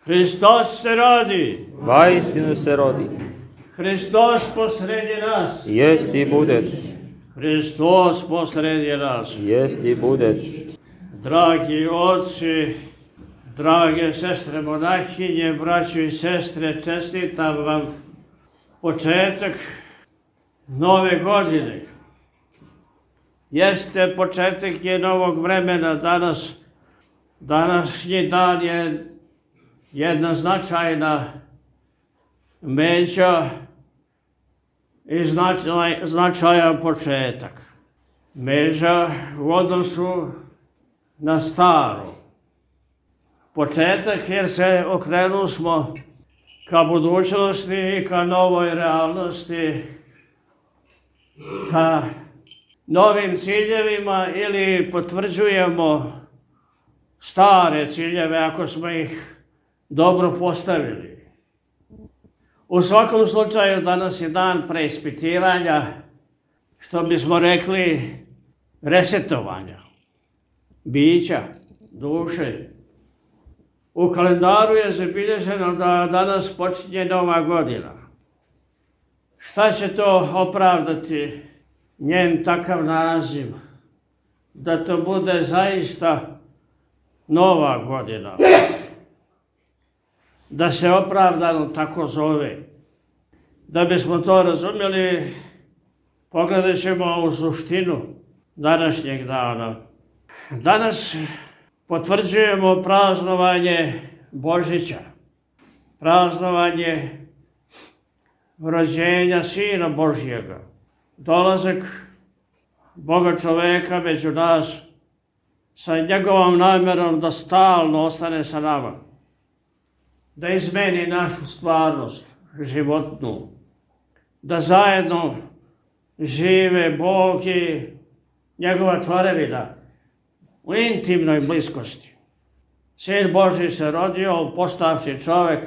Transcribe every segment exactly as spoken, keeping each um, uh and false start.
Hristos se rodi. Vaistinu se rodi. Hristos posredi nas. Jest i bude. Hristos posredi nas. Jest i bude. Dragi oci, drage sestre monahinje, braćo i sestre, čestitam vam početak nove godine. Jeste početak je novog vremena danas. Današnji dan je jedna značajna međa i značaj, značajan početak. Međa u odnosu na staro. Početak jer se okrenu smo ka budućnosti i ka novoj realnosti, ka novim ciljevima ili potvrđujemo stare ciljeve ako smo ih dobro postavili. U svakom slučaju danas je dan preispitivanja, što bismo rekli resetovanja, bića, duše. U kalendaru je zabilježeno da danas počinje nova godina. Šta će to opravdati njen takav naziv? Da to bude zaista nova godina. Da se opravdano tako zove. Da bismo to razumjeli, pogledat ćemo u suštinu današnjeg dana. Danas potvrđujemo praznovanje Božića, praznovanje rođenja Sina Božjega, dolazak Boga čoveka među nas sa njegovom namjerom da stalno ostane sa nama, da izmeni našu stvarnost životnu, da zajedno žive Bog i njegova tvorevina u intimnoj bliskosti. Sin Božji se rodio, postavši čovek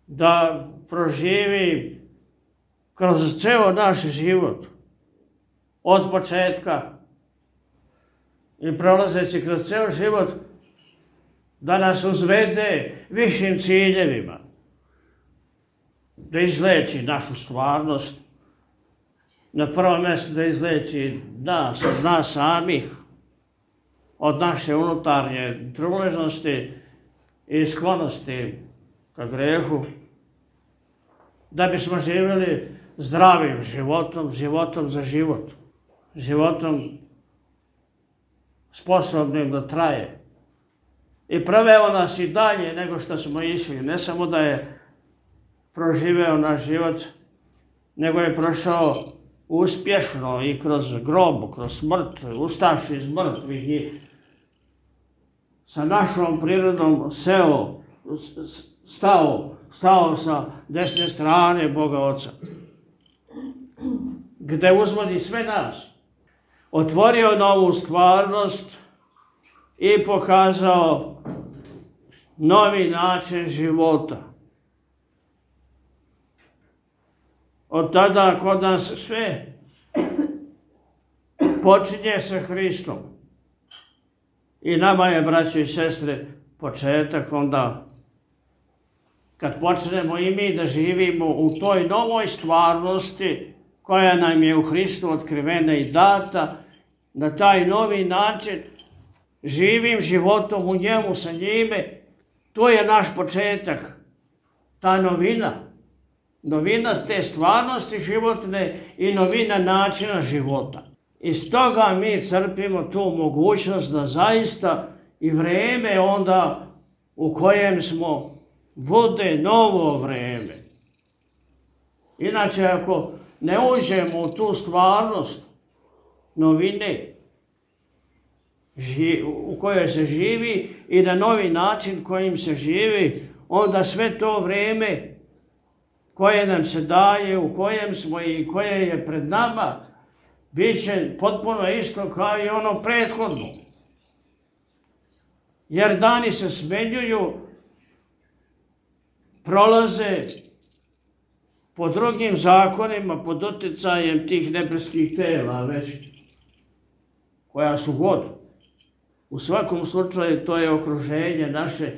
da proživi kroz ceo naš život, od početka i prolazeći kroz ceo život, da nas uzvede višim ciljevima, da izleči našu stvarnost, na prvom mjestu da izleči nas, od nas samih, od naše unutarnje truležnosti i sklonosti ka grehu, da bismo živjeli zdravim životom, životom za život, životom sposobnim da traje. I proveo nas i dalje nego što smo išli. Ne samo da je proživeo naš život, nego je prošao uspješno i kroz grob, kroz smrt, ustavši iz mrtvih i sa našom prirodom seo, stao, stao sa desne strane Boga Oca, gde uzvodi sve nas, otvorio novu stvarnost i pokazao novi način života. Od tada kod nas sve počinje sa Hristom. I nama je, braćo i sestre, početak onda kad počnemo i mi da živimo u toj novoj stvarnosti koja nam je u Hristu otkrivena i data, na taj novi način živim životom u njemu, sa njime. To je naš početak, ta novina. Novina te stvarnosti životne i novina načina života. I stoga mi crpimo tu mogućnost da zaista i vreme onda u kojem smo bude novo vreme. Inače, ako ne uđemo u tu stvarnost novine u kojoj se živi i na novi način kojim se živi, onda sve to vreme koje nam se daje, u kojem smo i koje je pred nama, bit će potpuno isto kao i ono prethodno. Jer dani se smenjuju, prolaze po drugim zakonima, pod utjecajem tih nebeskih tela već, koja su god. U svakom slučaju to je okruženje naše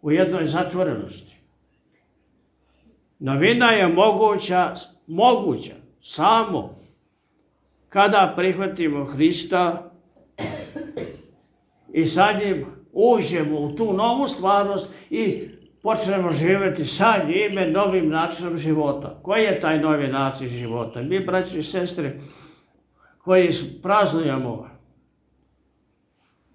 u jednoj zatvorenosti. Novina je moguća, moguća samo kada prihvatimo Hrista i sa njim uđemo u tu novu stvarnost i počnemo živjeti sa njime novim načinom života. Koji je taj novi način života? Mi, braći i sestre, koji praznujemo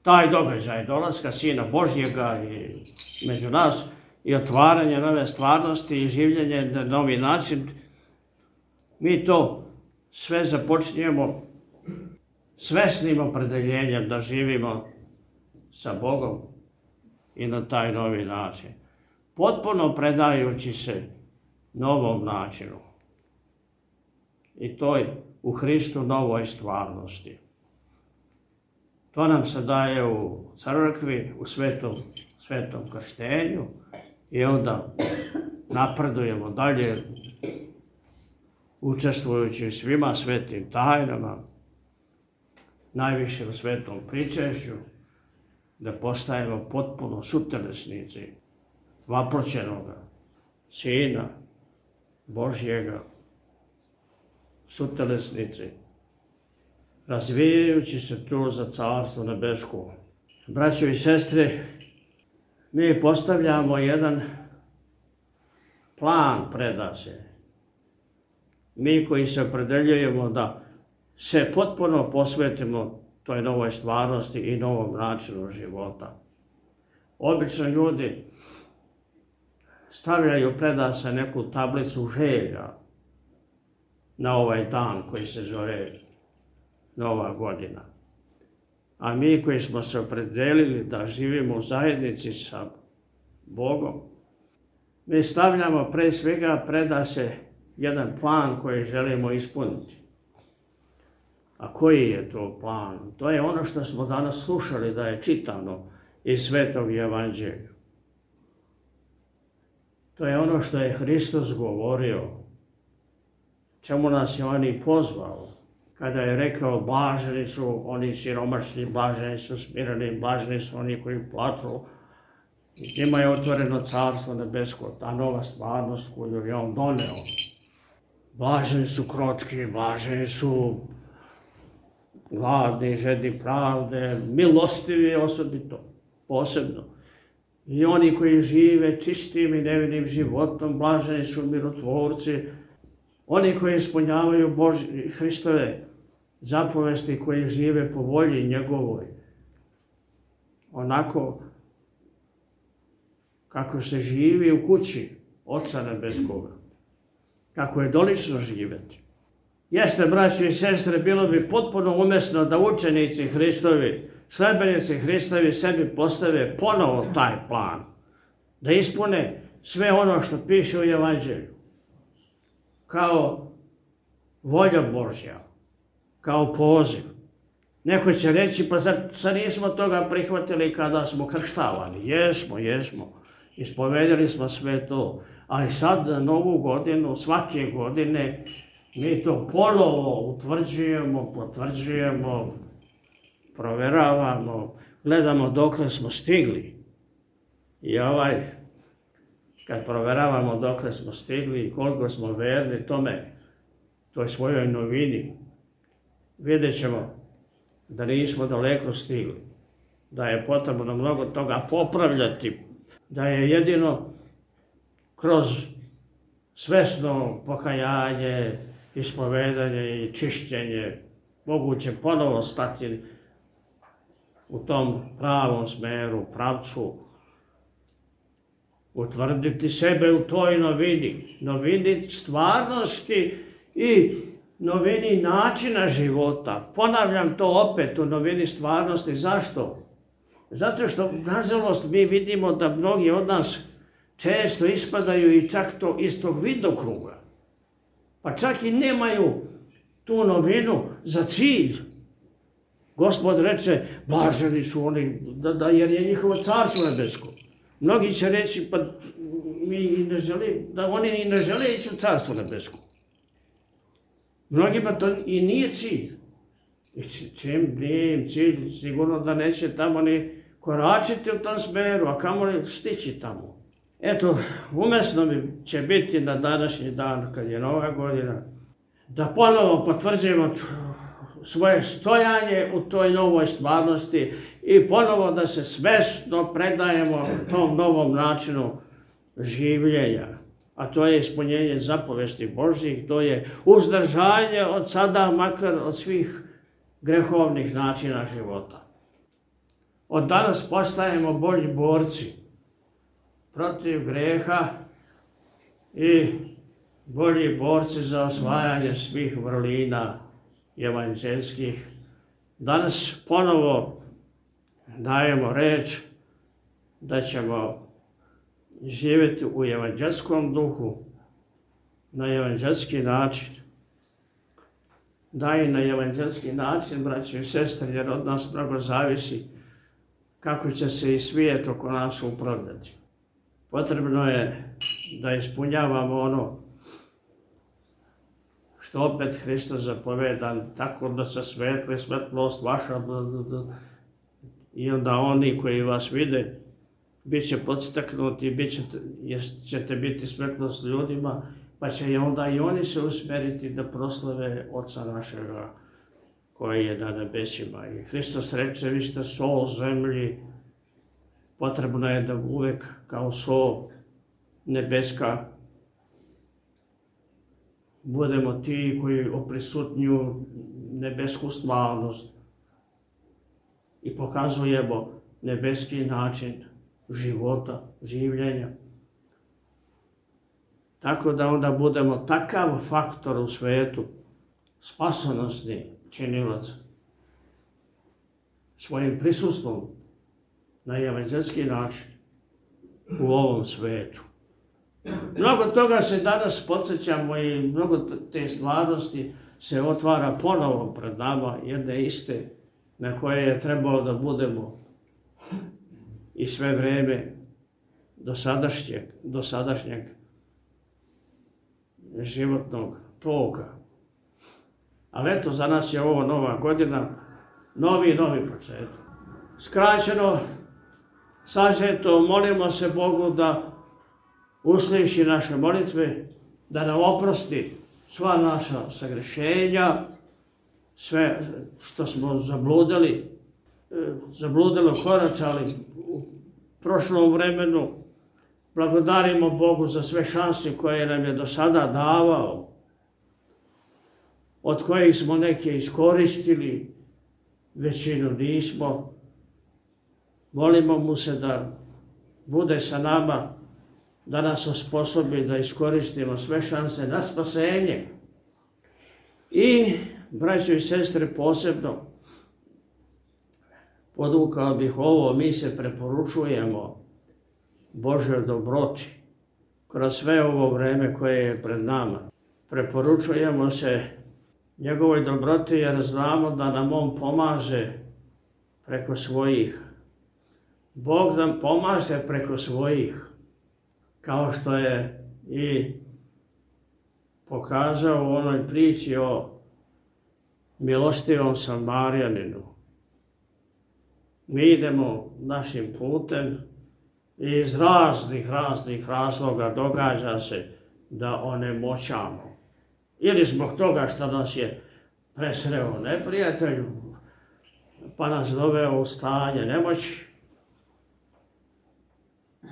taj događaj dolaska Sina Božjega i među nas i otvaranje nove stvarnosti i življenje na novi način, mi to sve započinjemo svesnim opredeljenjem da živimo sa Bogom i na taj novi način. Potpuno predajući se novom načinu. I toj u Hristu novoj stvarnosti. To nam se daje u crkvi, u svetom, svetom krštenju i onda napredujemo dalje učestvujući u svima svetim tajnama, najviše u svetom pričešću, da postajemo potpuno sutelesnici vaproćenoga Sina Božjega, sutelesnici, razvijajući se tu za carstvo nebesko. Braćo i sestre, mi postavljamo jedan plan predase. Mi koji se opredeljujemo da se potpuno posvetimo toj novoj stvarnosti i novom načinu života. Obično ljudi stavljaju predase neku tablicu želja na ovaj dan koji se zove Nova godina. A mi koji smo se opredelili da živimo u zajednici sa Bogom, mi stavljamo pre svega predase jedan plan koji želimo ispuniti. A koji je to plan? To je ono što smo danas slušali da je čitano iz Svetog Evanđelja. To je ono što je Hristos govorio, čemu nas je on i pozvao. Kada je rekao, blaženi su oni siromašni, blaženi su smireni, blaženi su oni koji plaču. Njima je otvoreno carstvo nebesko, ta nova stvarnost koju je on doneo. Blaženi su krotki, blaženi su gladni, žedni pravde, milostivi osobito, posebno. I oni koji žive čistim i nevinim životom, blaženi su mirotvorci. Oni koji ispunjavaju Božje, Hristove zapovesti, koji žive po volji njegovoj. Onako kako se živi u kući Oca Nebeskoga. Kako je dolično živjeti. Jeste, braći i sestre, bilo bi potpuno umjesno da učenici Hristovi, sledbenici Hristovi sebi postave ponovo taj plan. Da ispune sve ono što piše u Evanđelju. Kao volja Božja. Kao poziv. Neko će reći, pa zar, zar nismo toga prihvatili kada smo krštavani? Jesmo, jesmo. Ispovedali smo sve to. Ali sad na novu godinu, svake godine, mi to ponovo utvrđujemo, potvrđujemo, proveravamo, gledamo dokle smo stigli. I ovaj, kad proveravamo dokle smo stigli i koliko smo verni tome, toj svojoj novini, vidjet ćemo da nismo daleko stigli, da je potrebno mnogo toga popravljati, da je jedino kroz svesno pokajanje, ispovedanje i čišćenje moguće ponovo stati u tom pravom smeru, pravcu, utvrditi sebe u toj novini, novini stvarnosti i novini načina života. Ponavljam to opet, u novini stvarnosti. Zašto? Zato što, nažalost, mi vidimo da mnogi od nas često ispadaju i čak to iz tog vidokruga. Pa čak i nemaju tu novinu za cilj. Gospod reče, blaženi su oni, da, da, jer je njihovo carstvo nebesko. Mnogi će reći, pa mi ne želi, da oni i ne žele ići u carstvo nebesko. Mnogima to i nije cilj. I čim nije im cilj, sigurno da neće tamo ni koračiti u tom smeru, a kamoli stići tamo. Eto, umesno mi će biti na današnji dan, kad je Nova godina, da ponovo potvrđujemo svoje stojanje u toj novoj stvarnosti i ponovo da se svesno predajemo tom novom načinu življenja. A to je ispunjenje zapovesti Božjih, to je uzdržanje od sada, makar od svih grehovnih načina života. Od danas postajemo bolji borci protiv greha i bolji borci za osvajanje svih vrlina evanđelskih. Danas ponovo dajemo reč da ćemo živjeti u evanđelskom duhu, na evanđelski način. Da i na evanđelski način, braćo i sestre, jer od nas mnogo zavisi kako će se i svijet oko nas upravljati. Potrebno je da ispunjavamo ono što opet Hristos zapoveda, tako da se svetli svetlost vaša i onda oni koji vas vide bit će podstaknuti, bit ćete, jer ćete biti svetlost ljudima, pa će onda i oni se usmeriti da proslave Oca našega koji je na nebesima. I Hristos reče, vi ste sol zemlji, potrebno je da uvek kao sol nebeska budemo ti koji oprisutnju nebesku stvarnost i pokazujemo nebeski način života, življenja. Tako da onda budemo takav faktor u svetu, spasonosni činilac, svojim prisustvom na evanđelski način u ovom svetu. Mnogo toga se danas podsjećamo i mnogo te stvarnosti se otvara ponovo pred nama, jedne iste na koje je trebalo da budemo i sve vreme do sadašnjeg, do sadašnjeg životnog toka. Ali eto, za nas je ovo nova godina, novi i novi početak. Skraćeno, sažeto, molimo se Bogu da usliši naše molitve, da nam oprosti sva naša sagrešenja, sve što smo zabludili, zabludilo koračali u prošlom vremenu. Blagodarimo Bogu za sve šanse koje nam je do sada davao, od kojih smo neke iskoristili, većinu nismo. Molimo mu se da bude sa nama, da nas osposobi da iskoristimo sve šanse na spasenje. I, braćo i sestre, posebno podvukao bih ovo, mi se preporučujemo Božoj dobroti kroz sve ovo vreme koje je pred nama. Preporučujemo se njegovoj dobroti jer znamo da nam on pomaže preko svojih. Bog nam pomaže preko svojih, kao što je i pokazao u onoj priči o milostivom Samarijaninu. Mi idemo našim putem i iz raznih, raznih razloga događa se da onemoćamo. Ili zbog toga što nas je presreo neprijatelj, pa nas doveo u stanje nemoći,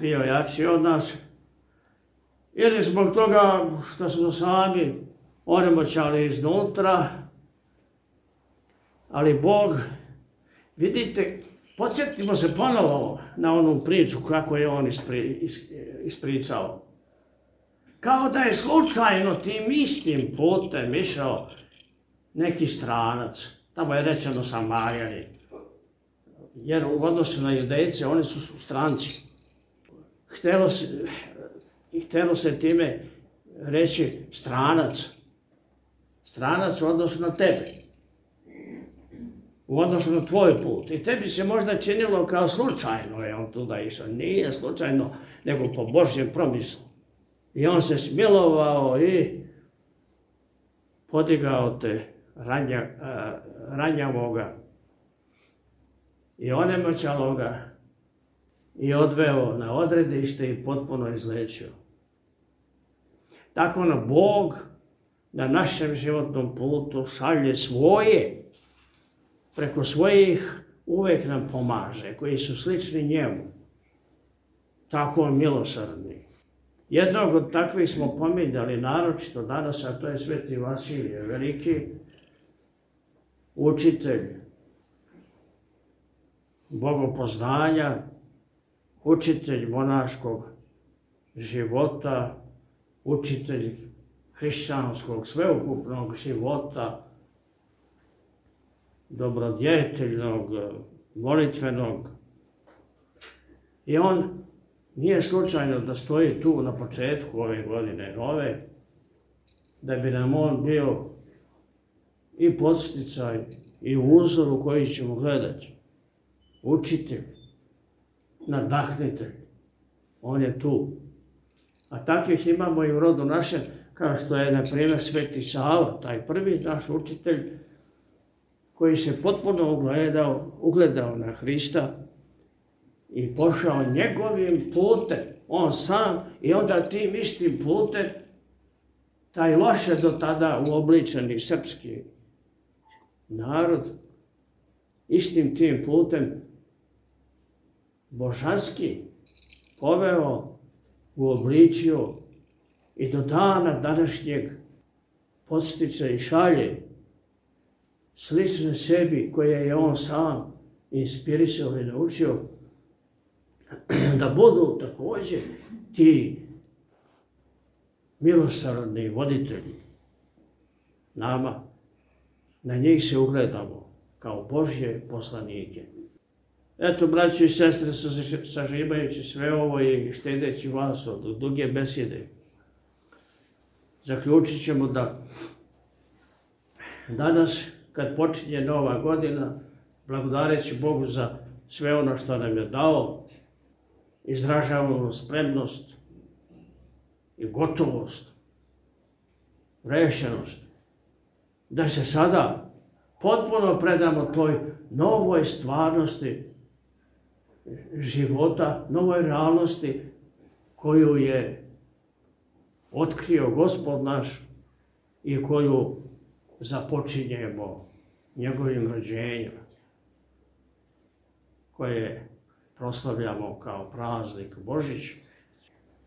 bio jači od nas, ili zbog toga što smo sami onemoćali iznutra, ali Bog, vidite, podsjetimo se ponovo na onu priču kako je on ispri, ispričao. Kao da je slučajno tim istim putem išao neki stranac, tamo je rečeno Samarijani, jer u odnosu na Judejce oni su stranci. Htelo se, htelo se time reći stranac, stranac u odnosu na tebe, u odnosu na tvoj put. I tebi se možda činilo kao slučajno je on tuda išao. Nije slučajno, nego po Božjem promislu. I on se smilovao i podigao te ranja, ranjavoga i onemoćaloga i odveo na odredište i potpuno izlečio. Tako nam Bog na našem životnom putu šalje svoje, preko svojih uvek nam pomaže, koji su slični njemu. Tako milosrdni. Jednog od takvih smo pominjali naročito danas, a to je Sveti Vasilije, veliki učitelj bogopoznanja, učitelj monaškog života, učitelj hrišćanskog sveukupnog života, dobrodjeteljnog, molitvenog. I on nije slučajno da stoji tu na početku ove godine nove, da bi nam on bio i podsticaj i uzor u koji ćemo gledati. Učitelj, nadahnitelj, on je tu. A takvih imamo i u rodu našem, kao što je, na primjer, Sveti Sava, taj prvi naš učitelj, koji se potpuno ugledao, ugledao na Hrista i pošao njegovim putem, on sam, i onda tim istim putem, taj loše do tada uobličeni srpski narod, istim tim putem božanski poveo, uobličio i do dana današnjeg podstiče i šalje slične sebi koje je on sam inspirisao i naučio, da budu također ti milosrdni voditelji nama. Na njih se ugledamo kao Božje poslanike. Eto, braći i sestre, sažimajući sve ovo i štedeći vas od duge besjede, zaključit ćemo da danas, kad počinje nova godina, blagodareći Bogu za sve ono što nam je dao, izražavamo spremnost i gotovost, rešenost, da se sada potpuno predamo toj novoj stvarnosti života, novoj realnosti koju je otkrio Gospod naš i koju započinjemo njegovim rođenjem, koje proslavljamo kao praznik Božić,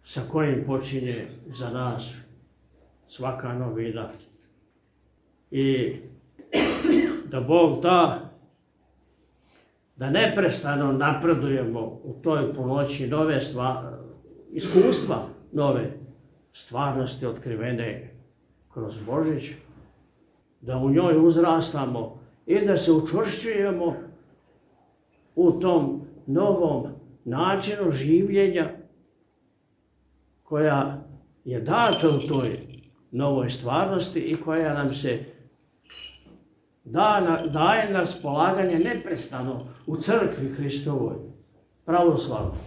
sa kojim počinje za nas svaka novina. I da Bog da da neprestano napredujemo u toj punoći nove stvari, iskustva nove stvarnosti otkrivene kroz Božić, da u njoj uzrastamo i da se učvršćujemo u tom novom načinu življenja koja je data u toj novoj stvarnosti i koja nam se daje na raspolaganje neprestano u crkvi Hristovoj, pravoslavnoj.